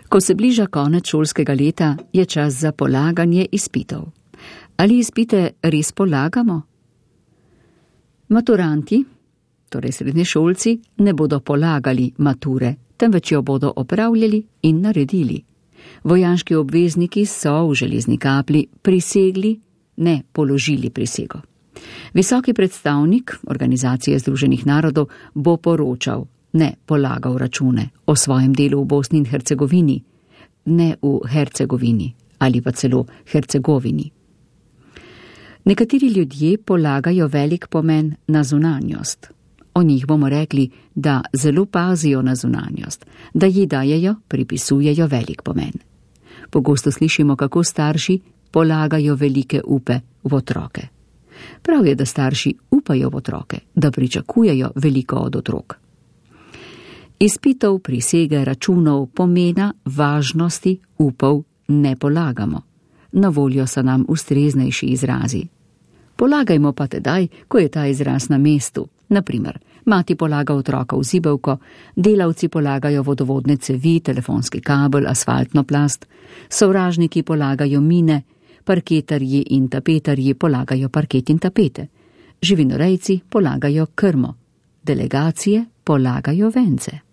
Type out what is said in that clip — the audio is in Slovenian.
Ko se bliža konec šolskega leta, je čas za polaganje izpitov. Ali izpite res polagamo? Maturanti, torej srednješolci, ne bodo polagali mature, temveč jo bodo opravljali in naredili. Vojaški obvezniki so v železni kapli prisegli, ne položili prisego. Visoki predstavnik Organizacije Združenih narodov bo poročal, ne polagal račune o svojem delu v Bosni in Hercegovini, ne v Hercegovini ali pa celo Hercegovini. Nekateri ljudje polagajo velik pomen na zunanjost. O njih bomo rekli, da zelo pazijo na zunanjost, da ji dajejo, pripisujejo velik pomen. Pogosto slišimo, kako starši polagajo velike upe v otroke. Prav je, da starši upajo v otroke, da pričakujejo veliko od otrok. Izpitov, prisege, računov, pomena, važnosti, upov ne polagamo. Na voljo so nam ustreznejši izrazi. Polagajmo pa tedaj, ko je ta izraz na mestu. Naprimer, mati polaga otroka v zibelko, delavci polagajo vodovodne cevi, telefonski kabel, asfaltno plast, sovražniki polagajo mine, parketarji in tapetarji polagajo parket in tapete, živinorejci polagajo krmo, delegacije polagajo vence.